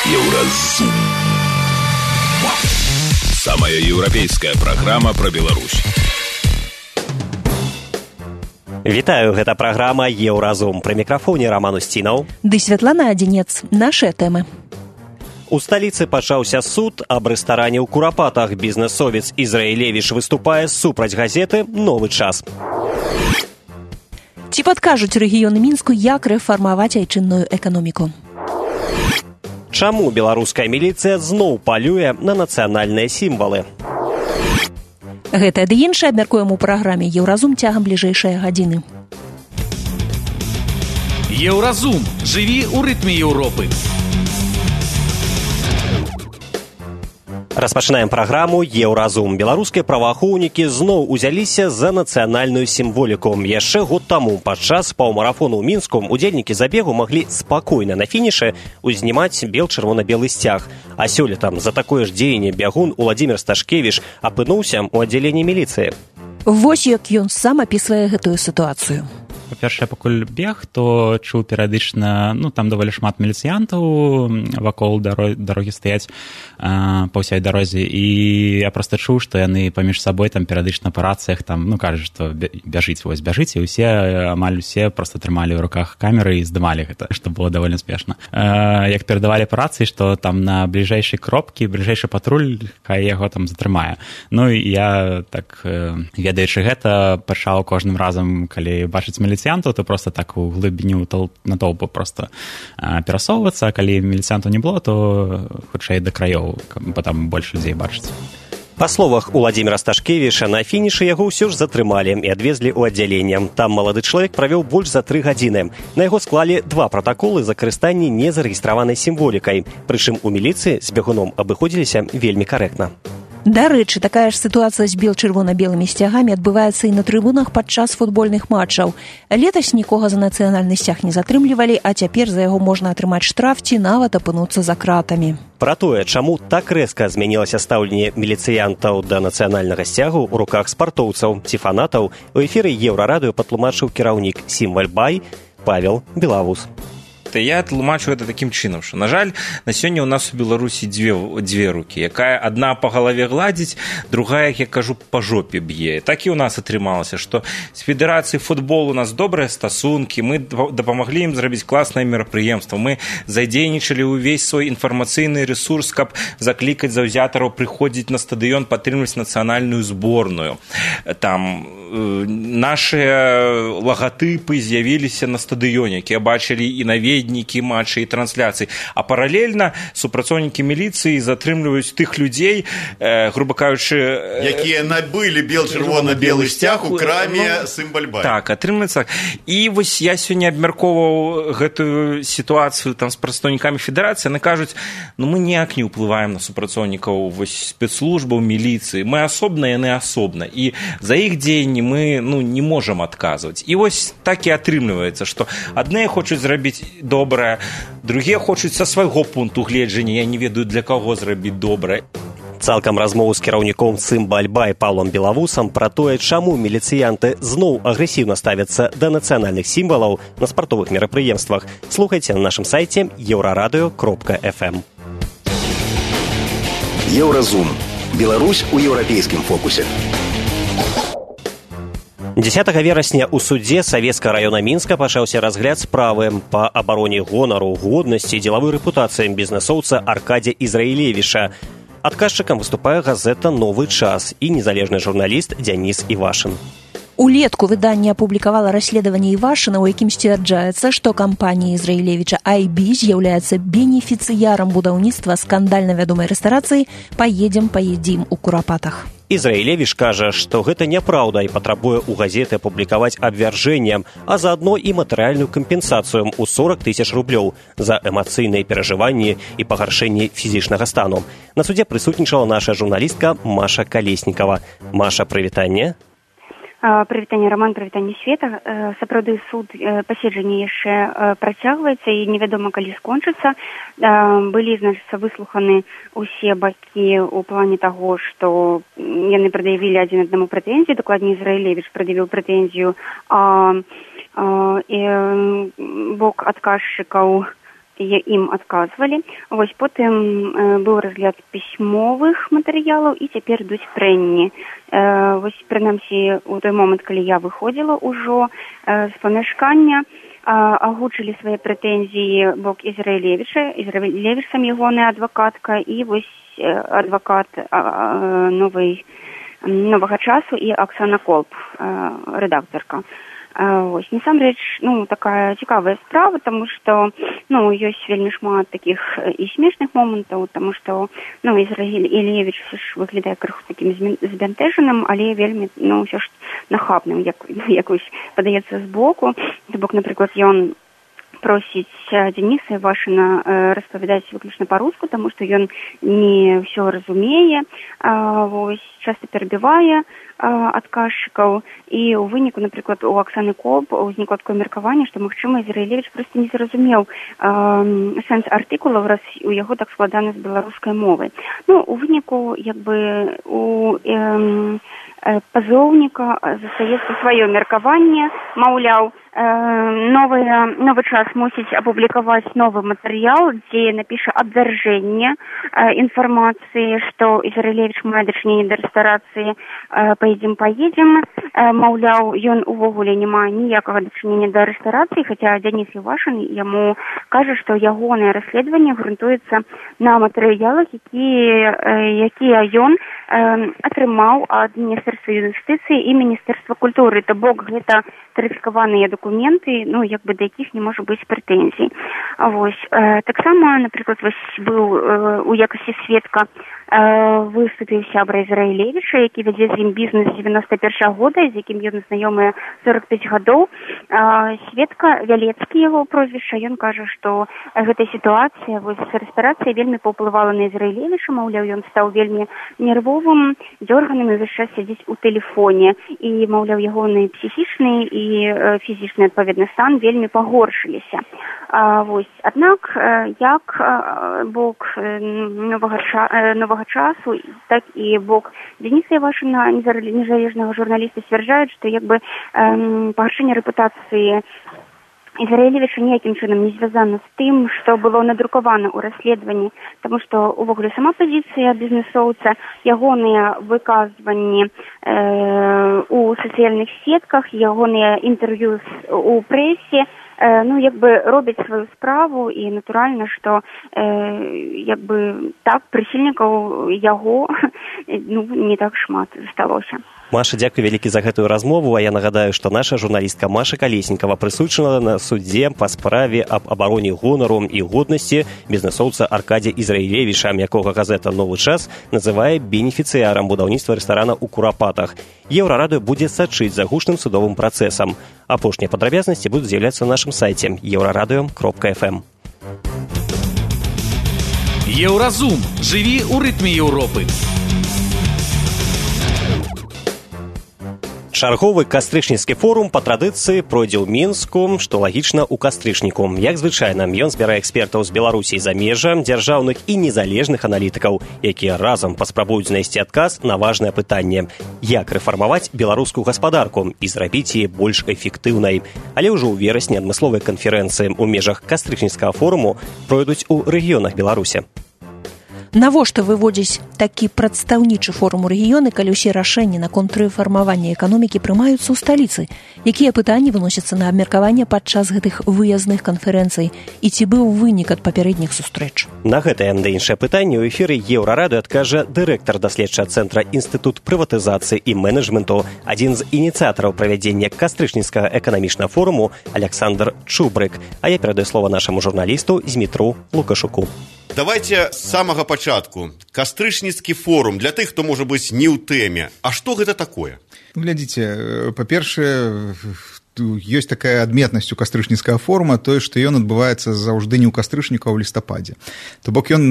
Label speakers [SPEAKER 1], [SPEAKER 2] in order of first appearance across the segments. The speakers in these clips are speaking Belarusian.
[SPEAKER 1] Еўразум. Самая еўрапейская праграма пра Беларусь.
[SPEAKER 2] Вітаю, гэта праграма «Еўразум». Пры мікрафоне Роман Устінаў.
[SPEAKER 3] Ды Святлана Адзінец. Нашыя тэмы.
[SPEAKER 2] У сталіцы пачаўся суд аб рэстаране ў Курапатах. Бізнэсовец Ізраілевіч выступае супраць газеты «Новы час».
[SPEAKER 3] Ці падкажуць рэгіёны Мінску, як рэфармаваць айчынную эканоміку?
[SPEAKER 2] Чаму беларуская міліцыя зноў палюе на нацыянальныя сімвалы?
[SPEAKER 3] Гэта ды іншае абмяркуем у праграме «Еўразум» цягам бліжэйшай гадзіны.
[SPEAKER 4] Еўразум. Жыві ў рытме Еўропы.
[SPEAKER 2] Распачынаем праграму «Еўразум». Беларускія праваахоўнікі зноў узяліся за нацыянальную сімволіку. Яшчэ год таму падчас паўмарафону ў Мінску удзельнікі забегу маглі спакойна на фінішы узнімаць бел-чырвона-белы сцяг. А сёлета за такое ж дзеянне бягун Уладзімір Сташкевіч апынуўся ў аддзяленні міліцыі.
[SPEAKER 3] Вось як ён сам апісвае гэтую сітуацыю.
[SPEAKER 5] Па-першае, пакуль бег, то чуў перыядычна, там даволі шмат міліцыянтаў вакол дарогі стаяць па ўсёй дарозе, і я проста чуў, што яны паміж сабой перыядычна па рацыях кажуць, што бяжыць, вось бяжыць, і амаль усе проста трымалі ў руках камеры і здымалі гэта, што было даволі спешна. Як перадавалі па рацыі, што на бліжэйшай кропкі, бліжэйшы патруль, хай яго затрымае. І я, так, ведаючы гэта, пачаў кожным разам, калі бачыць міліцыянтаў, то просто так у глыбіню натоўпу просто перасоўвацца, а калі міліцыянтаў не было, то хутчэй да краёў, бо там больш людзей бачыць.
[SPEAKER 2] Па словах Уладзіміра Сташкевіча, на фінішы яго ўсё ж затрымалі і адвезлі ў аддзяленне. Там малады чалавек правёў больш за 3 гадзіны. На яго склалі 2 пратаколы за карыстанне незарэгістраванай сімволікай. Прычым у міліцыі з бягуном абыходзіліся вельмі карэктна.
[SPEAKER 3] Дарэчы, такая ж сітуацыя з бел-чырвона-белымі сцягамі адбываецца і на трыбунах падчас футбольных матчаў. Летась нікога за нацыянальны сцяг не затрымлівалі, а цяпер за яго можна атрымаць штраф ці нават апынуцца за кратамі.
[SPEAKER 2] Пра тое, чаму так рэзка змянілася стаўленне міліцыянтаў да нацыянальнага сцягу ў руках спартоўцаў ці фанатаў, у эфіры Еўрарадыё патлумачыў кіраўнік «Сімвальбай» Павел Белавус.
[SPEAKER 6] Я тлумачу гэта такім чынам, што, на жаль, на сёння ў нас у Беларусі дзве рукі, якая адна па галаве гладзіць, другая, як я кажу, па жопе б'е. Так і ў нас атрымалася, што з федэрацыяй футболу у нас добрыя стасункі, мы дапамаглі ім зрабіць класнае мерапрыемства, мы задзейнічалі ўвесь свой інфармацыйны рэсурс, каб заклікаць заўзятараў прыходзіць на стадыён, падтрымліваць нацыянальную зборную. Там нашыя лагатыпы з'явіліся на стадыёне, якія бачылі і наведнікі матчы і трансляцыі, а паралельна супрацоўнікі міліцыі затрымліваюць тых людзей, груба кажучы,
[SPEAKER 7] якія набылі бел-чырвона-белы сцяг у краме «Сімвальбай».
[SPEAKER 6] Так, атрымліваецца. І вось я сёння абмяркоўваў гэтую сітуацыю з прадстаўнікамі федэрацыі, яны кажуць, мы ніяк не ўплываем на супрацоўнікаў спецслужбаў, міліцыі, мы асобна, яны асобна, і за іх дзеянні мы не можам адказваць. І вось так і атрымліваецца, што адныя хочуць зрабіць добрае, другія хочуць са свайго пункту гледжання, я не ведаю, для каго зрабіць добрае.
[SPEAKER 2] Цалкам размову з кіраўніком «Сімвальбай» Павлом Белавусам пра тое, чаму міліцыянты зноў агрэсіўна ставяцца да нацыянальных сімвалаў на спартовых мерапрыемствах, слухайце на нашым сайце euraradio.fm.
[SPEAKER 1] Еўразум. Беларусь у еўрапейскім фокусе.
[SPEAKER 2] 10 верасня ў судзе Савецкага раёна Мінска пачаўся разгляд справы па абароне гонару, годнасці і дзелавой рэпутацыі бізнэсоўца Аркадзя Ізраілевіча. Адказчыкам выступае газета «Новы час» і незалежны журналіст Дзяніс Івашын.
[SPEAKER 3] Улетку выданне апублікавала расследаванне Івашына, у якім сцвярджаецца, што кампанія Ізраілевіча IB з'яўляецца бенефіцыярам будаўніцтва скандальна вядомай рэстарацыі «Паедзім у Курапатах».
[SPEAKER 2] Ізраілевіч кажа, што гэта няпраўда і патрабуе ў газеты апублікаваць абвяржэнне, а заадно і матэрыяльную кампенсацыю ў 40 000 рублёў за эмацыйныя перажыванні і пагаршэнне фізічнага стану. На судзе прысутнічала наша журналістка Маша Калеснікава. Маша, прывітанне.
[SPEAKER 8] Прывітанне, Роман, прывітанне, Света. Сапраўды, суд паседжанне яшчэ працягваецца і невядома, калі скончыцца. Былі, значыцца, выслуханы усе бакі ў плане таго, што яны прад'явілі адзін аднаму прэтэнзію, дакладней Ізраілевіч прад'явіў прэтэнзію, і бок адказчыкаў ім адказвалі. Вось потым быў разгляд пісьмовых матэрыялаў і цяпер ідуць прэнні. Вось прынамсі у той момант, калі я выходзіла ўжо з памяшкання, агучылі свае прэтэнзіі бок Ізраілевіча, сам ягоная адвакатка і вось адвакат новага часу і Аксана Колб, рэдактарка. Вось, насамрэч, такая цікавая справа, таму што, ёсць вельмі шмат такіх і смешных момантаў, таму што, Ізраілевіч ўсё ж выглядае крыху такім збянтэжаным, але вельмі, ўсё ж нахабным, як вось падаецца збоку. То бок, напрыклад, ён просіць Дениса Івашына распавядаць выключна па-руску, таму што ён не ўсё разумее, вось, часта перабівае адказчыкаў, і ў выніку, напрыклад, у Аксаны Колб узнікла такое меркаванне, што, магчыма, Ізраілевіч проста не зразумеў сэнс артыкулаў, раз у яго так складана з беларускай мовай. У выніку, у пазоўніка застаецца сваё меркаванне, маўляў, новы час мусіць апублікаваць новы матэрыял, дзе напіша абвяржэнне інфармацыі, што Ізраілевіч мае дачыненне да рэстарацыі «Поедем». Маўляў, ён увогуле не мае ніякага дачынення да рэстарацыі, хаця Денис Івашын яму кажа, што ягонае расследаванне грунтуецца на матэрыялах, якія ён атрымаў ад Міністэрства юстыцыі і Міністэрства культуры. То бок гэта тарыфікаваныя дакументы, да якіх не можа быць прэтэнзій. Вось. Таксама, напрыклад, быў у якасці сведка выступіў сябра Ізраілевіча, які вядзе з ім бізнес з 91 года, з якім ён знаёмы 45 гадоў. Сведка Вялецкі, яго прозвішча, ён кажа, што гэтая сітуацыя з рэстарацыяй вельмі паўплывала на Ізраілевіча, маўляў, ён стаў вельмі нервовым, дзёрганым і ўвесь час сядзіць у тэлефоне, і, маўляў, ягоны псіхічны і фізічны, адпаведна, стан вельмі пагоршыліся. Аднак, як бок новага часу, так і бок Дениса Івашына, незалежнага журналіста, сцвярджаюць, што пагаршэнне рэпутацыі Ізраілевіча ніякім чынам не звязана з тым, што было надрукавана ў расследаванні, таму што увогуле сама пазіцыя бізнесоўца, ягоныя выказванні у сацыяльных сетках, ягоныя інтэрв'ю у прэсе, робяць сваю справу, і натуральна, што так прыхільнікаў яго не так шмат засталося.
[SPEAKER 2] Маша, дзякуй вялікі за гэтую размову, а я нагадаю, што наша журналістка Маша Калеснікава прысутнічала на судзе па справе аб абароне гонару і годнасці бізнесоўца Аркадзія Ізраілевіча, якога газета «Новы час» называе бенефіцыярам будаўніцтва рэстарана ў Курапатах. Еўрарадыё будзе сачыць за гучным судовым працэсам. Апошнія падрабязнасці будуць з'яўляцца на нашым сайце euradio.fm.
[SPEAKER 4] Еўразум. Жыві ў рытме Еўропы.
[SPEAKER 2] Чарговы кастрычніцкі форум па традыцыі пройдзе ў Мінску, што лагічна ў кастрычніку. Як звычайна, ён збірае экспертаў з Беларусі і замежжа, дзяржаўных і незалежных аналітыкаў, якія разам паспрабуюць знайсці адказ на важнае пытанне: як рэфармаваць беларускую гаспадарку і зрабіць яе больш эфектыўнай. Але ўжо ў верасні адмысловыя канферэнцыі ў межах кастрычніцкага форуму пройдуць у рэгіёнах Беларусі.
[SPEAKER 3] Навошта выводзіць такі прадстаўнічы форум у рэгіёны, калі ўсе рашэнні наконт рэфармавання эканомікі прымаюцца ў сталіцы? Якія пытанні выносяцца на абмеркаванне падчас гэтых выязных канферэнцый? І ці быў вынік ад папярэдніх сустрэч?
[SPEAKER 2] На гэтае да іншае пытанне ў эфіры Еўрарадыё адкажа дырэктар даследчага цэнтра Інстытут прыватызацыі і менеджменту, адзін з ініцыятараў правядзення кастрычніцкага эканамічнага форуму Александр Чубрык. А я перадаю слова нашаму журналісту Змітру Лукашуку.
[SPEAKER 7] Давайте з самага пачатку. Кастрычніцкі форум, для тых, хто, можа быць, не ў тэме. А што гэта такое?
[SPEAKER 9] Глядзіце, па-першае, ёсць такая адметнасць у кастрычніцкага форума, тое, што ён адбываецца заўжды не ў кастрычніку, а ў лістападзе. То бок ён,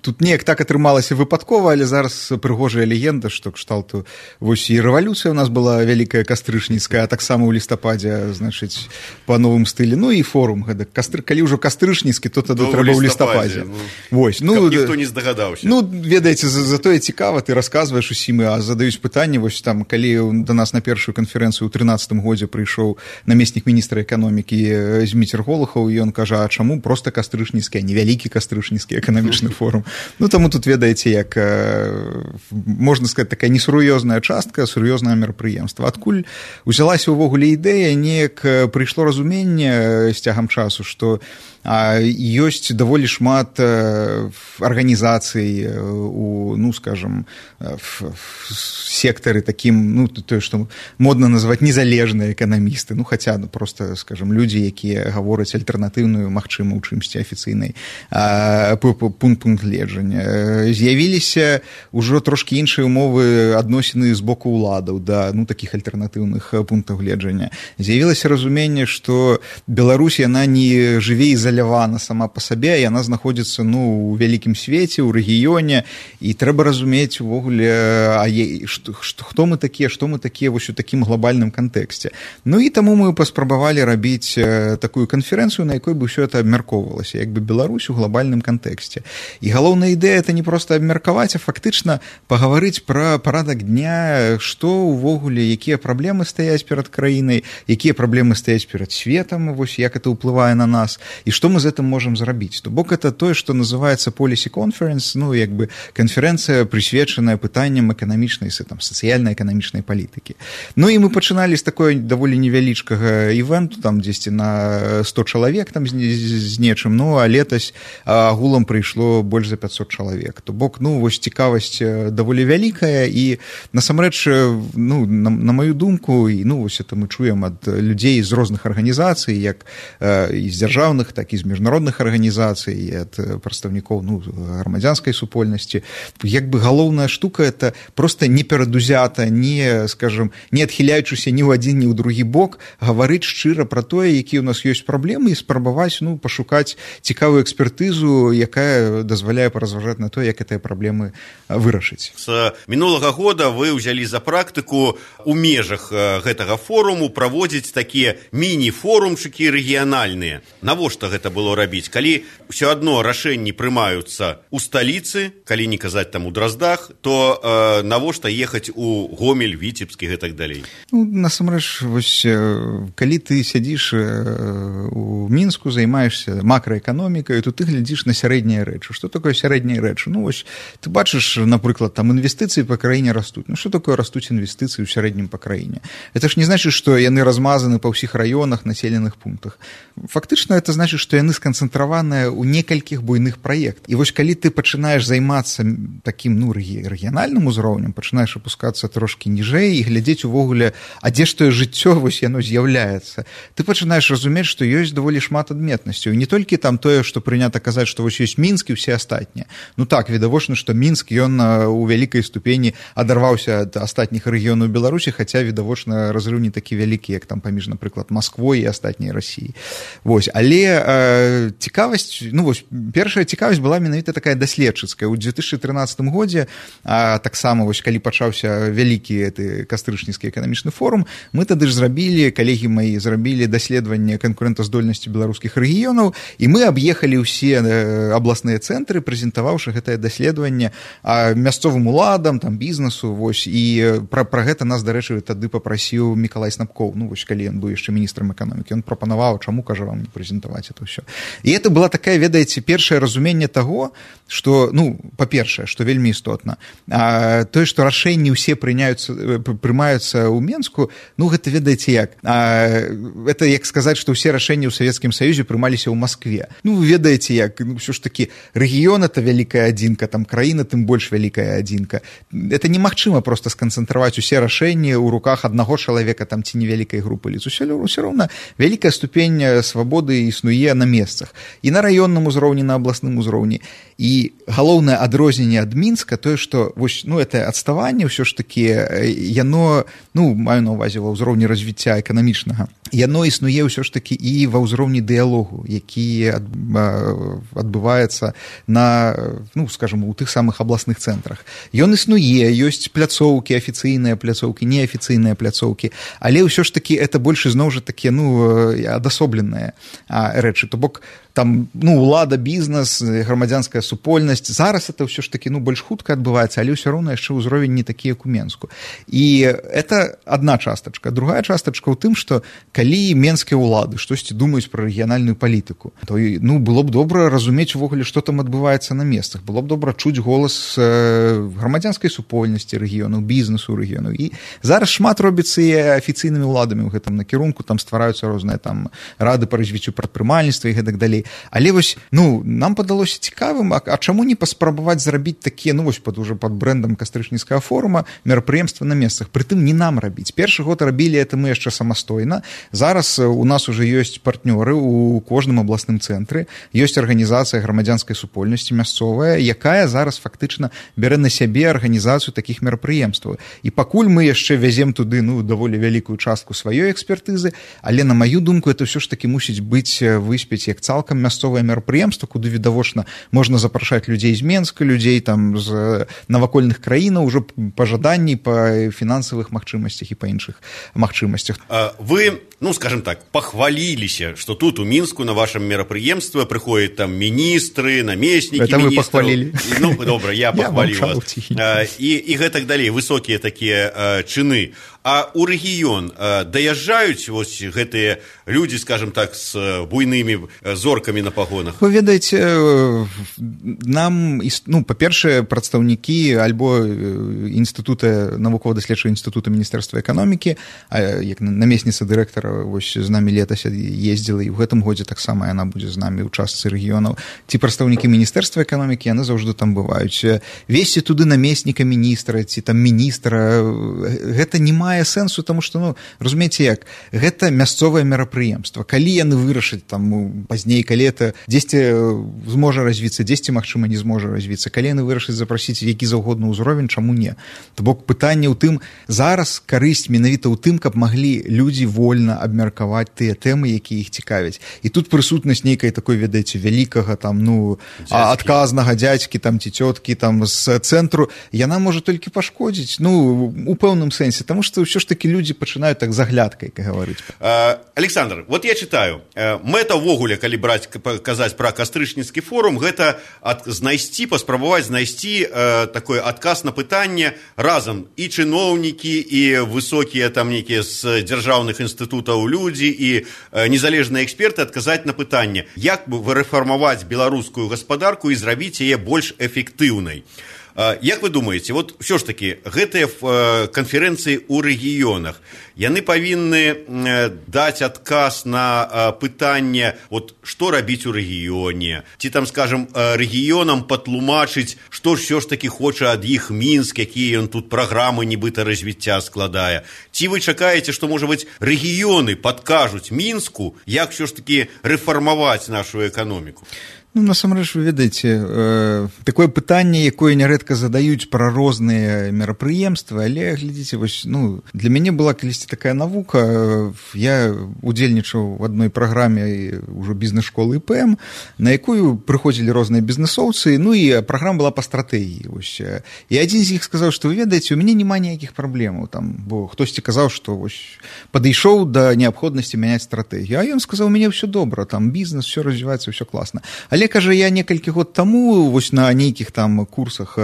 [SPEAKER 9] тут неяк так атрымалася выпадкова, але зараз прыгожая легенда, што кшталту вось і рэвалюцыя у нас была вялікая кастрычніцкая, а таксама ў лістападзе, значыць, па новым стылі. І форум гэта. Калі ўжо кастрычніцкі, то тады трэба ў лістападзе. Вось,
[SPEAKER 7] каб ніхто не здагадаўся.
[SPEAKER 9] Ведаеце, затое цікава, ты расказваеш усім, а задаюць пытанне, вось там, калі да нас на першую канферэнцыю ў 13-м годзе прыйшоў прыйшоў намеснік міністра эканомікі Зміцер Голухаў, і ён кажа, а чаму проста кастрычніцкі, а не вялікі кастрычніцкі эканамічны форум. Ну, таму тут, ведаеце, як можна сказаць, такая несур'ёзная частка, сур'ёзнае мерапрыемства. Адкуль узялася ўвогуле ідэя, неяк прыйшло разуменне з цягам часу, што ёсць даволі шмат арганізацый у, ну, скажем, сектары такім, ну, тое, што модна называць незалежныя эканамісты, ну, хаця, ну, просто, скажем, людзі, якія гавораць альтэрнатыўную, магчыма, у чымсьці афіцыйнай пункт гледжання. З'явіліся ўжо трошкі іншыя умовы адносіны з боку ўладаў да, ну, такіх альтэрнатыўных пунктаў гледжання. З'явілася разуменне, што Беларусь, яна не жыве ізалявана сама па сабе, яна знаходзіцца, ну, у вялікім свеце, у рэгіёне, і трэба разумець увогуле, хто мы такія, што мы такія вось у такім глобальным кантэксце. Ну і таму мы паспрабавалі рабіць такую канферэнцыю, на якой бы ўсё это абмяркоўвалася, як бы Беларусь у глобальным кантэксце. І галоўная ідэя это не проста абмеркаваць, а фактычна пагаварыць пра парадак дня, што увогуле, якія праблемы стаяць перад краінай, якія праблемы стаяць перад светам, вось як это ўплывае на нас, і што мы з гэтым можам зрабіць. То бок это тое, што называецца Policy Conference, ну, як бы канферэнцыя, прысвечаная пытанням эканамічнай, там, сацыяльна-эканамічнай палітыкі. Ну і мы пачыналі з такой даволі невялічкага івенту, там дзесьці на 100 чалавек там з нечым, ну, а летась агулам прыйшло больш за 500 чалавек. То бок, ну, вось цікавасць даволі вялікая, і насамрэч, ну, на маю думку, і, ну, вось это мы чуем ад людзей з розных арганізацый, як і з дзяржаўных, так і з міжнародных арганізацый, і ад прадстаўнікоў, ну, грамадзянскай супольнасці. Як бы галоўная штука это просто не перадузята, не, скажем, не адхіляючыся ні ў адзін, ні ў другі бок, гаварыць шчыра пра тое, якія ў нас ёсць праблемы, і спрабаваць, ну, пашукаць цікавую экспертызу, якая дазваляе паразважаць на то, як гэтыя праблемы вырашыць.
[SPEAKER 7] З мінулага года вы ўзялі за практыку у межах гэтага форуму праводзіць такія міні-форумчыкі рэгіянальныя. Навошта гэта было рабіць? Калі ўсё адно рашэнні прымаюцца ў сталіцы, калі не казаць там у Дроздах, то навошта ехаць у Гомель, Віцебск і гэтак далей?
[SPEAKER 9] Ну, насамрэч, вось, калі ты сядзіш у Мінску, займаешься макраэканомікай, то ты глядзіш на сярэднія рэчы. Што такое сярэднія рэчы? Ну, вось, ты бачыш, напрыклад, там інвестыцыі па краіне растуць. Ну, што такое растуць інвестыцыі ў сярэднім па краіне? Это ж не значыць, што яны размазаны па ўсіх раёнах, населеных пунктах. Фактычна, это значыць, што яны сканцэнтраваныя ў некалькіх буйных праектах. І вось, калі ты пачынаеш займацца такім, ну, рэгіянальным узроўнем, пачынаеш апускацца трошкі ніжэй і глядзець увогуле, а дзе ж тое жыццё, вось яно з'яўляецца. Ты пачынаеш разумець, што ёсць даволі шмат адметнасцяў. І не толькі там тое, што прынята казаць, што вось ёсць Мінск і ўсе астатнія. Ну так, відавочна, што Мінск, ён у вялікай ступені адарваўся ад астатніх рэгіёнаў Беларусі, хаця, відавочна, разрыв не такі вялікі, як там паміж, напрыклад, Масквой і астатняй Расіі. Вось, але цікавасць, ну вось, першая цікавасць была менавіта такая даследчыцкая. У 2013 годзе, таксама, вось, калі пачаўся вялікі кастрычніцкі эканамічны форум, мы тады ж зрабілі, калегі маі зрабілі даследаванне канкурэнтаздольнасці беларускіх рэгіёнаў, і мы аб'ехалі ўсе абласныя цэнтры, прэзентаваўшы гэтае даследаванне мясцовым уладам, там, бізнесу, вось, і пра гэта нас, дарэчы, тады папрасіў Мікалай Снапкоў, ну, вось, калі ён быў яшчэ міністрам эканомікі, ён прапанаваў, чаму, кажа, вам не прэзентаваць это ўсё. І это была такая, ведаеце, першае разуменне таго, што, ну, па-першае, што вельмі істотна, тое, што рашэнні ўсе прымаюцца ў Менску, ну, гэта, ведаеце, як? Это як сказаць, што ўсе рашэнні ў Савецкім Саюзе прымаліся ў Маскве. Ну, вы ведаеце, як? Ну, ўсё ж такі, рэгіён — это вялікая адзінка, там, краіна тым больш вялікая адзінка. Это немагчыма проста сканцэнтраваць усе рашэнні ў руках аднаго чалавека, там, ці невялікай групы лиц. Усё роўна вялікая ступень свабоды існуе на месцах. І на раённым узроўні, на абласным узроўні. І галоўнае адрозненне ад Мінска тое, што вось, ну, это адставанне ўсё ж такі, яно, ну, маю на ўвазе ва ўзроўні развіцця эканамічнага, яно існуе ўсё ж такі і ва ўзроўні дыялогу, які адбываецца на, ну, скажем, у тых самых абласных цэнтрах. Ён існуе, ёсць пляцоўкі, афіцыйныя пляцоўкі, неафіцыйныя пляцоўкі, але ўсё ж такі это больш ізноў жа такія, ну, адасобленыя рэчы. То бок там, ну, улада, бізнес, грамадзянская супольнасць. Зараз это ўсё ж такі, ну, больш хутка адбываецца, але ўсё роўна яшчэ ўзровень не такі, як у Менску. І это одна частачка. Другая частачка ў тым, што калі менскія ўлады штосьці думаюць пра рэгіянальную палітыку, то, ну, было б добра разумець увогуле, што там адбываецца на месцах. Было б добра чуць голас грамадзянскай супольнасці рэгіёнаў, бізнесу рэгіёнаў. І зараз шмат робіцца і афіцыйнымі ўладамі ў гэтым накірунку, там ствараюцца розныя там рады па развіццю прадпрымальніцтва і гэтак далей. Але вось, ну, нам падалося цікавым, а чаму не паспрабаваць зрабіць такія, ну, вось уже пад брэндам кастрычніцкага форума мерапрыемства на месцах. Прытым не нам рабіць. Першы год рабілі это мы яшчэ самастойна. Зараз у нас уже ёсць партнёры у кожным абласным цэнтры, ёсць арганізацыя грамадзянскай супольнасці мясцовая, якая зараз фактычна бярэ на сябе арганізацыю такіх мерапрыемстваў. І пакуль мы яшчэ вязем туды, ну, даволі вялікую частку сваёй экспертызы, але на маю думку это ўсё ж такі мусіць быць выспець як цалкам мясцовае мерапрыемства, куды відавочна можна запрашаць людзей з Менска, людзей там з навакольных краінаў ужо па жаданні, па фінансавых магчымасцях і па іншых магчымасцях.
[SPEAKER 7] Вы, ну, скажем так, пахваліліся, што тут у Мінску на вашем мерапрыемстве прыходзяць там міністры, намеснікі
[SPEAKER 9] міністраў. Это вы пахвалілі.
[SPEAKER 7] Ну, добра, я пахваліў вас. І гэтак далей, высокія такія чыны. А ў рэгіён даязджаюць вось гэтыя людзі, скажем так, з буйнымі зоркамі на пагонах?
[SPEAKER 9] Вы ведаеце, нам, ну, па-першае, прадстаўнікі альбо інстытута, навукова-даследчага інстытута Міністэрства эканомікі, як намесніца дырэктара вось з намі летась ездзіла, і ў гэтым годзе таксама яна будзе з намі ў частцы рэгіёнаў. Ці прадстаўнікі Міністэрства эканомікі, яны заўжды там бываюць. Весці туды намесніка міністра, ці там міністра, гэта не мае сэнсу, таму што, ну, разумееце як, гэта мясцовае мерапрыемства. Калі яны вырашаць там пазней, калі это дзесьці зможа развіцца, дзесьці, магчыма, не зможа развіцца, калі яны вырашаць запрасіць які заўгодна ўзровень, чаму не? То бок пытанне ў тым, зараз карысць менавіта ў тым, каб маглі людзі вольна абмеркаваць тыя тэмы, якія іх цікавяць. І тут прысутнасць нейкай такой, ведаеце, вялікага там, ну, адказнага дзядзькі там ці цёткі там з цэнтру, яна можа толькі пашкодзіць, ну, у пэўным сэнсе, таму што ўсё ж такі людзі пачынаюць так заглядкай гаварыць.
[SPEAKER 7] Александр, вот я читаю, мэта ўвогуле, калі браць, казаць пра кастрычніцкі форум, гэта знайсці, паспрабаваць знайсці такой адказ на пытанне разам і чыноўнікі, і высокія там нейкія з дзяржаўных інстытутаў людзі, і незалежныя эксперты адказаць на пытанне, як бы вырэфармаваць беларускую гаспадарку і зрабіць яе больш эфектыўнай. Як вы думаеце, вот ўсё ж такі гэтыя канферэнцыі ў рэгіёнах, яны павінны даць адказ на пытанне, вот, што рабіць у рэгіёне, ці там, скажем, рэгіёнам патлумачыць, што ўсё ж такі хоча ад іх Мінск, якія ён тут праграмы нібыта развіцця складае. Ці вы чакаеце, што, можа быць, рэгіёны падкажуць Мінску, як ўсё ж такі рэфармаваць нашу эканоміку?
[SPEAKER 9] Ну, насамрэч, вы ведаеце, такое пытанне, якое нярэдка задаюць пра розныя мерапрыемствы, але, глядзіце, вось, ну, для мяне была калісьці такая навука, я удзельнічаў в адной праграме ўжо бізнес-школы ІПМ, на якую прыходзілі розныя бізнесоўцы, ну, і праграма была па стратэгіі, вось. І адзін з іх сказаў, што, вы ведаеце, у мяне няма ніякіх праблемаў, там, бо хтосьці казаў, што, вось, падышоў да неабходнасці мяняць стратэгію, а ён сказаў, у мяне ўсё добра, там, бізнес, ўсё развіваецца, ўсё класна. Але, кажа, я некалькі год таму вось на нейкіх там курсах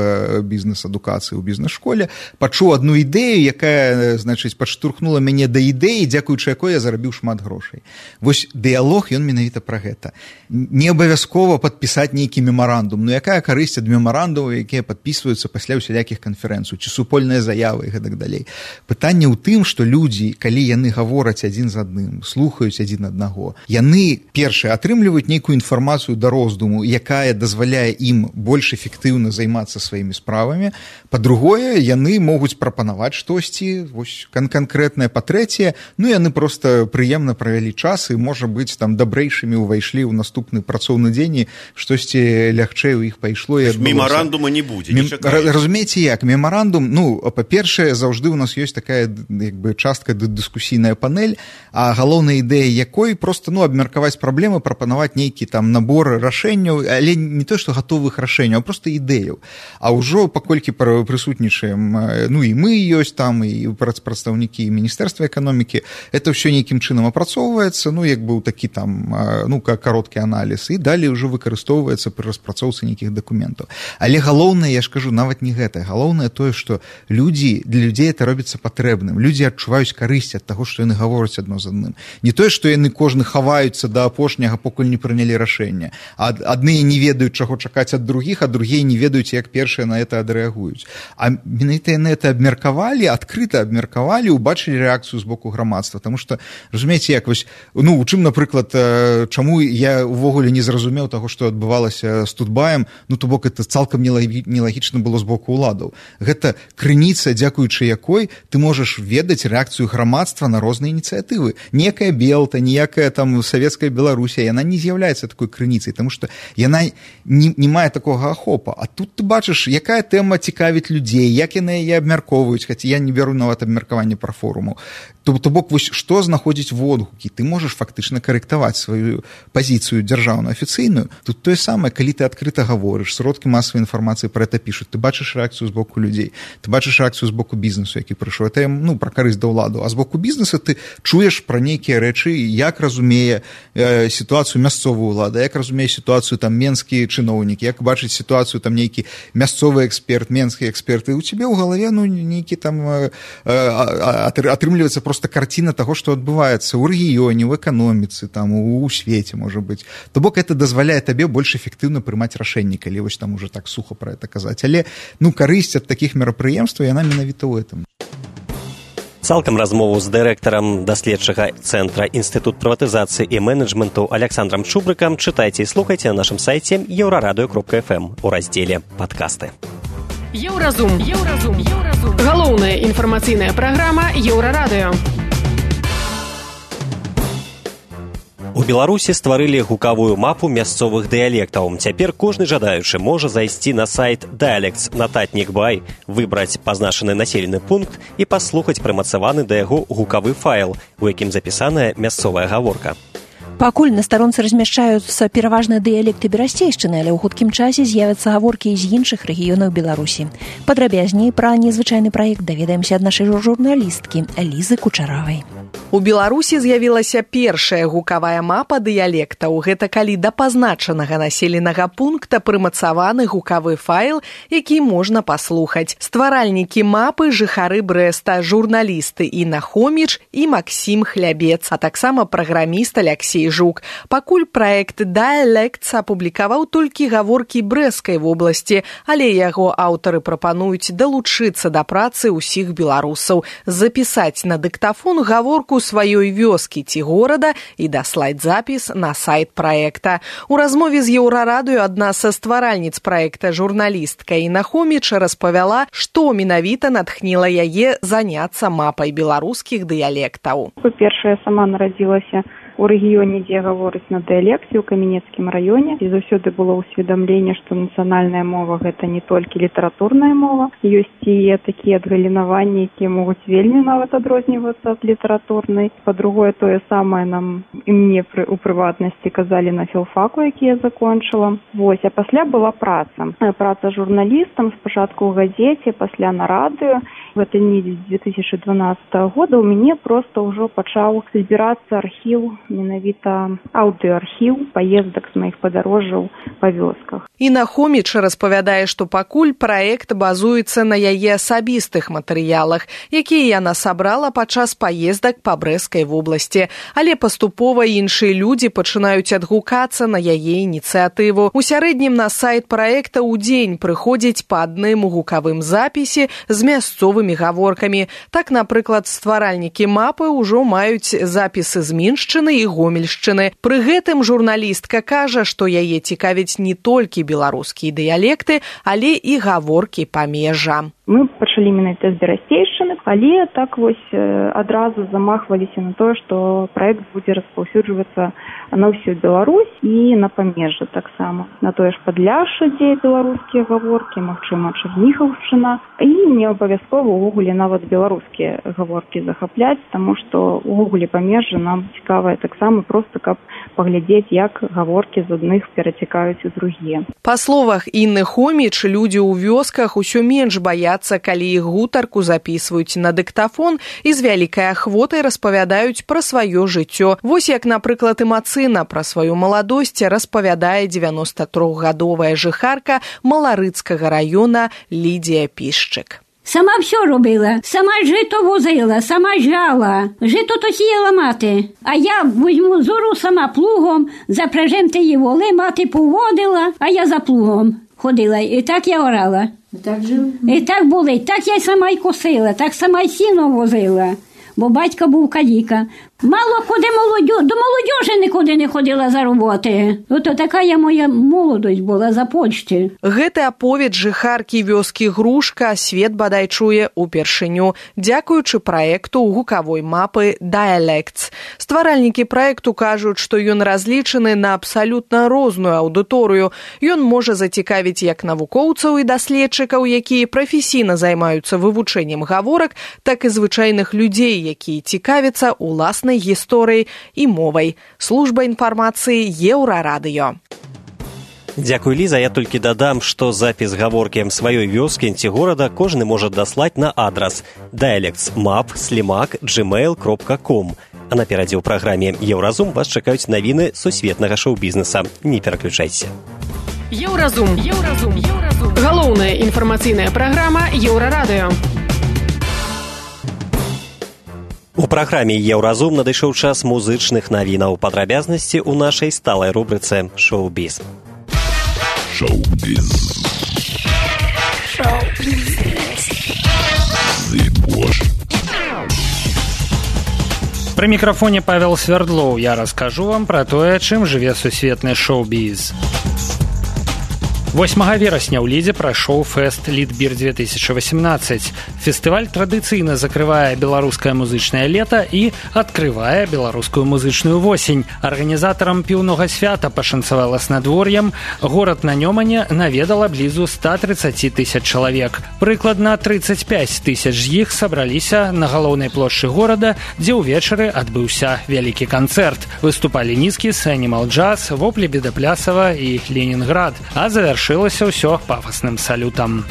[SPEAKER 9] бізнес-адукацыі ў бізнес-школе пачуў адну ідэю, якая, значыць, падштурхнула мяне да ідэі, дзякуючы якой я зарабіў шмат грошай. Вось дыялог, ён менавіта пра гэта. Не абавязкова падпісаць нейкі мемарандум, ну якая карысць ад мемарандумаў, якія падпісваюцца пасля ўсялякіх канферэнцый, ці супольныя заявы і гэтак далей. Пытанне ў тым, што людзі, калі яны гавораць адзін з адным, слухаюць адзін аднаго, яны, першае, атрымліваюць нейкую інфармацыю да роздуму, якая дазваляе ім больш эфектыўна займацца сваімі справамі. Па-другое, яны могуць прапанаваць штосьці, вось канкрэтнае. Па-трэцяе, ну яны проста прыемна правялі час і, можа быць, там дабрэйшымі ўвайшлі ў наступны працоўны дзень, штосьці лягчэй у іх пайшло і адбылося.
[SPEAKER 7] Мемарандума не будзе, не чакаеце.
[SPEAKER 9] Разумееце як, мемарандум, ну, па-першае, заўжды ў нас ёсць такая, як бы, частка дыскусійная панель, а галоўная ідэя якой проста, ну, абмеркаваць праблемы, прапанаваць нейкі там набор рашэнняў рашэнняў, але не то, што гатовых рашэнняў, а проста ідэяў. А ўжо паколькі прысутнічаем, ну і мы ёсць там, і прадстаўнікі Міністэрства эканомікі, это ўсё нейкім чынам апрацоўваецца, ну як быў такі там, ну кароткі аналіз, і далей ўжо выкарыстоўваецца пры распрацоўцы нейкіх дакументаў. Але галоўнае, я ж кажу, нават не гэта. Галоўнае тое, што для людзей это робіцца патрэбным. Людзі адчуваюць карысць ад таго, што яны гавораць адно з адным. Не тое, што яны кожны хаваюцца да апошняга, пакуль не прынялі рашэнне. А адныя не ведаюць, чаго чакаць ад другіх, а другія не ведаюць, як першыя на это адрэагуюць. А менавіта яны это абмеркавалі, адкрыта абмеркавалі, убачылі рэакцыю з боку грамадства. Таму што, разумееце, як вось, ну, у чым, напрыклад, чаму я ўвогуле не зразумеў таго, што адбывалася з Тутбаем, ну, то бок это цалкам нелагічна было з боку ўладаў. Гэта крыніца, дзякуючы якой ты можаш ведаць рэакцыю грамадства на розныя ініцыятывы. Некая Белта, ніякая там савецкая Беларусія, яна не з'яўляецца такой крыніцай, таму што яна не мае такога ахопа. А тут ты бачыш, якая тэма цікавіць людзей, як яны яе абмяркоўваюць, хаця я не бяру нават абмеркаванне пра форуму. То бок, вось што знаходзіць водгукі? Ты можаш фактычна карэктаваць сваю пазіцыю дзяржаўную афіцыйную. Тут тое самае, калі ты адкрыта гаворыш, сродкі масавай інфармацыі пра гэта пішуць, ты бачыш рэакцыю з боку людзей, ты бачыш рэакцыю з боку бізнесу, які прыйшоў. Это, ну, пра карысць да ўладу. А з боку бізнеса ты чуеш пра нейкія рэчы, як разумее сітуацыю мясцовую ўладу, як разумее сітуацыю там менскі чыноўнік, як бачыць сітуацыю там нейкі мясцовы эксперт, менскі эксперт, і у цябе ў галаве, ну, нейкі там атрымліваецца проста карціна таго, што адбываецца ў рэгіёне, ў эканоміцы, там, у свеце, можа быць. То бок, это дазваляе табе больш эфектыўна прымаць рашэнні, калі вось там уже так суха пра гэта казаць. Але, ну, карысць ад такіх мерапрыемстваў, яна менавіта ў гэтым.
[SPEAKER 2] Цалкам размову з дырэктарам даследчага цэнтра Інстытут прыватызацыі і менеджменту Александрам Чубрыкам чытайце і слухайце на нашым сайце еўрарадыё.фм у раздзеле «Падкасты».
[SPEAKER 10] Еўразум. Галоўная інфармацыйная праграма Еўрарадыё.
[SPEAKER 2] У Беларусі стварылі гукавую мапу мясцовых дыялектаў. Цяпер кожны жадаючы можа зайсці на сайт Dialects.Notatnik.by, выбраць пазначаны населены пункт і паслухаць прымацаваны да яго гукавы файл, у якім запісаная мясцовая гаворка.
[SPEAKER 3] Пакуль на старонцы размяшчаюцца пераважна дыялекты берасцейшчыны, але ў хуткім часе з'явяцца гаворкі з іншых рэгіёнаў Беларусі. Падрабязней пра незвычайны праект даведаемся ад нашай журналісткі Лізы Кучаравай.
[SPEAKER 11] У Беларусі з'явілася першая гукавая мапа дыялектаў. Гэта калі да пазначанага населенага пункта прымацаваны гукавы файл, які можна паслухаць. Стваральнікі мапы жыхары Брэста, журналісты Інна Хоміч і Максім Хлябец, а таксама праграміст Аляксей Жук. Пакуль праект Dialects апублікаваў толькі гаворкі Брэскай вобласці, але яго аўтары прапануюць далучыцца да працы ўсіх беларусаў, запісаць на дыктафон гаворку сваёй вёскі ці горада і даслаць запіс на сайт праекта. У размове з Еўрарадыё адна са стваральніц праекта журналістка Інна Хоміч распавяла, што менавіта натхніла яе заняцца мапай беларускіх дыялектаў.
[SPEAKER 8] Па-першае, я сама нарадзілася у рэгіёне, дзе гаворыць на дыялекце, у Каменецкім раёне. І заўсёды было ўсведамленне, што нацыянальная мова – гэта не толькі літаратурная мова. Ёсць і такія адгалінаванні, якія могуць вельмі нават адрознівацца ад літаратурнай. Па-другое, тое самае нам і мне у прыватнасці казалі на філфаку, які я закончыла. Вось, а пасля была праца. Праца журналістам, спачатку ў газеце, пасля на радыё. В этой недзе 2012 года у мяне проста ўжо пачаў збірацца архіў, менавіта аўдыоархіў паездак з маіх падарожжаў па вёсках.
[SPEAKER 11] Інна Хоміч распавядае, што пакуль праект базуецца на яе асабістых матэрыялах, якія яна сабрала падчас паездак па Брэскай вобласці. Але паступова іншыя людзі пачынаюць адгукацца на яе ініцыятыву. У сярэднім на сайт праекта ў дзень прыходзіць па адным гукавым запісе з мясцовымі гаворкамі. Так, напрыклад, стваральнікі мапы ўжо маюць запісы з Міншчыны і Гомельшчыны. Пры гэтым журналістка кажа, што яе цікавяць не толькі беларускія дыялекты, але і гаворкі памежжа.
[SPEAKER 12] Мы пачалі менавіта з берасцейшчыны, але так вось адразу замахваліся на тое, што праект будзе распаўсюджвацца на ўсю Беларусь і на памежжа таксама. На тое ж Падляшша, дзе беларускія гаворкі, магчыма, Чарнігаўшчына. І не абавязкова ўвогуле нават беларускія гаворкі захапляць, таму што ўвогуле памежжа нам цікавае таксама проста, каб паглядзець, як гаворкі з адных перацякаюць у другія.
[SPEAKER 11] Па словах Інны Хоміч, людзі ў вёсках усё менш баяцца, калі іх гутарку запісваюць на дыктафон і з вялікай ахвотай распавядаюць пра сваё жыццё. Вось як, напрыклад, Імацына пра сваю маладосць распавядае 93-гадовая жыхарка Маларыцкага раёна Лідія Пішчык.
[SPEAKER 13] Сама все робила, сама жито возила, сама жала, жито то сіяла мати. А я візьму зору сама плугом, запряжем тієї воли, мати поводила, а я за плугом ходила. І так я орала.
[SPEAKER 14] Так жили?
[SPEAKER 13] І так були, так я сама й косила, так сама й сіно возила, бо батько був каліка. Мало куди до молодежі нікуди не ходила за роботи. Ото така моя молодость була за почті.
[SPEAKER 11] Гэты аповед жыхаркі вёскі Грушка свет бадай чуе упершыню, дзякуючы праекту гукавой мапы Dialects. Стваральнікі праекту кажуць, што ён разлічаны на абсалютна розную аўдыторыю. Ён можа зацікавіць як навукоўцаў і даследчыкаў, якія прафесійна займаюцца вывучэннем гаворак, так і звычайных людзей, якія цікавяцца уласнай гісторыяй і мовай. Служба інфармацыі Еўрарадыё.
[SPEAKER 2] Дзякуй, Ліза. Я толькі дадам, што запіс гаворкі сваёй вёскі ці горада кожны можа даслаць на адрас dialects.map@gmail.com. А наперадзе ў праграме «Еўразум» вас чакаюць навіны сусветнага шоу-бізнеса. Не пераключайся.
[SPEAKER 10] Еўразум. Галоўная інфармацыйная праграма Еўрарадыё.
[SPEAKER 2] У праграме «Еўразум» надышоў час музычных навінаў. Падрабязнасці ў нашай сталай рубрыцы «Шоу-біз».
[SPEAKER 15] Пры мікрафоне Павел Свердлоў. Я раскажу вам пра тое, чым жыве сусветны шоу-біз. 8 верасня ў Лідзе прайшоў фэст «Лідбір-2018». Фестываль традыцыйна закрывае беларускае музычнае лета і адкрывае беларускую музычную восень. Арганізатарам піўнога свята пашанцавала з надвор'ем. Горад на Нёмане наведала блізу 130 тысяч чалавек. Прыкладна 35 тысяч з іх сабраліся на галоўнай плошчы горада, дзе ўвечары адбыўся вялікі канцэрт. Выступалі Нізкіс, Animal Jazz, Воплі Бедаплясава і Ленінград. А завяршылася ўсё пафасным салютам.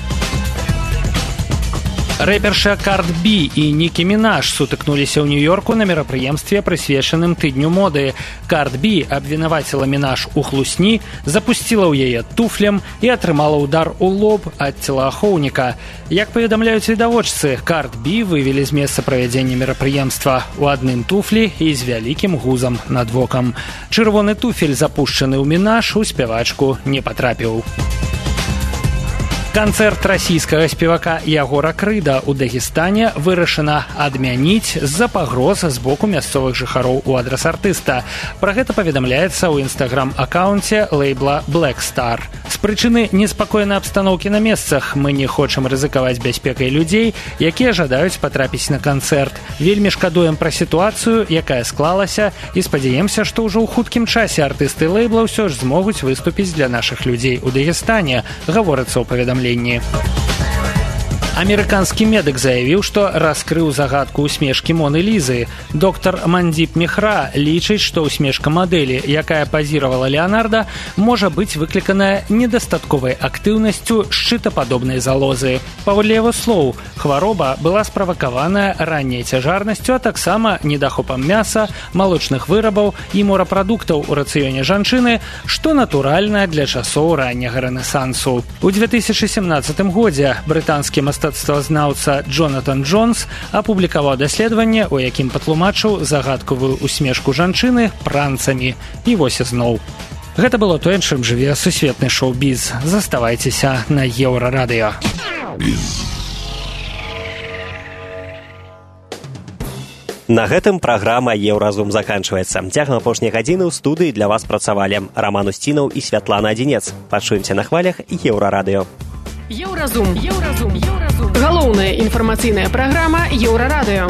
[SPEAKER 15] Рэперша Кард Би і Нікі Мінаш сутыкнуліся ў Нью-Йорку на мерапрыемстве, прысвечаным тыдню моды. Кард Би абвінаваціла Мінаш у хлусні, запусціла ў яе туфлем і атрымала ўдар у лоб ад целаахоўніка. Як паведамляюць відавочцы, Кард Би вывелі з месца правядзення мерапрыемства у адным туфлі і з вялікім гузам над вокам. Чырвоны туфель, запушчаны ў Мінаш, у спявачку не патрапіў. Канцэрт расійскага спевака Ягора Крыда ў Дагестане вырашана адмяніць з-за пагроз з боку мясцовых жыхароў у адрас артыста. Пра гэта паведамляецца ў інстаграм-акаунце лейбла Black Star. З прычыны неспакойнай абстаноўкі на месцах мы не хочам рызыкаваць бяспекай людзей, якія жадаюць патрапіць на канцэрт. Вельмі шкадуем пра сітуацыю, якая склалася, і спадзяемся, што ўжо ў хуткім часе артысты лейбла ўсё ж змогуць выступіць для нашых людзей у Дагестане, гаворыцца ў паведамленні. Амерыканскі медык заявіў, што раскрыў загадку усмешкі Моны Лізы. Доктар Мандзіп Мехра лічыць, што усмешка мадэлі, якая пазіравала Леанарда, можа быць выкліканая недастатковай актыўнасцю шчытападобнай залозы. Паводле яго слоў, хвароба была справакаваная ранняй цяжарнасцю, а таксама недахопам мяса, малочных вырабаў і морапрадуктаў у рацыёне жанчыны, што натуральна для часоў ранняга рэнесансу. У 2017 годзе брытанскі мастацтвазнаўца Джонатан Джонс апублікаваў даследаванне, у якім патлумачыў загадкавую усмешку жанчыны пранцамі. І вось ізноў. Гэта было тое, чым жыве сусветны шоу-біз. Заставайцеся на Еўрарадыё.
[SPEAKER 2] На гэтым праграма «Еўразум» заканчваецца. Цягам апошняй гадзіны ў студыі для вас працавалі Раман Усцінаў і Святлана Адзінец. Пачуемся на хвалях Еўрарадыё.
[SPEAKER 10] Еўразум. Галоўная інфармацыйная праграма Еўрарадыё.